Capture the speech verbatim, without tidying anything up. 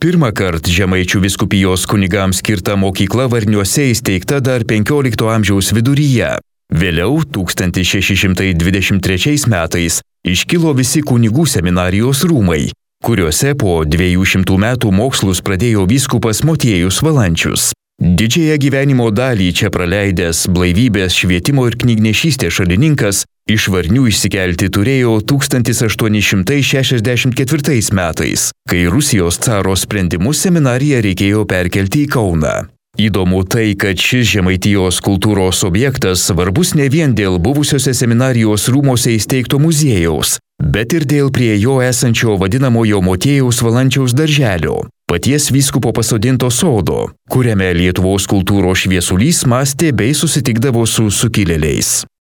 Pirmą kartą Žemaičių vyskupijos kunigams skirta mokykla Varniuose įsteigta dar penkiolikto amžiaus viduryje. Vėliau, tūkstantis šeši šimtai dvidešimt trečiais metais, iškilo visi kunigų seminarijos rūmai, kuriuose po dviejų šimtų metų mokslus pradėjo vyskupas Motiejus Valančius. Didžiąją gyvenimo dalį čia praleidęs blaivybės, švietimo ir knygnešystės šalininkas iš Varnių išsikelti turėjo tūkstantis aštuoni šimtai šešiasdešimt ketvirtais metais, kai Rusijos caro sprendimu seminariją reikėjo perkelti į Kauną. Įdomu tai, kad šis Žemaitijos kultūros objektas svarbus ne vien dėl buvusiose seminarijos rūmose įsteigto muziejaus, bet ir dėl prie jo esančio vadinamojo Motiejaus Valančiaus darželio, paties vyskupo pasodinto sodo, kuriame Lietuvos kultūros šviesulys mąstė bei susitikdavo su sukilėliais.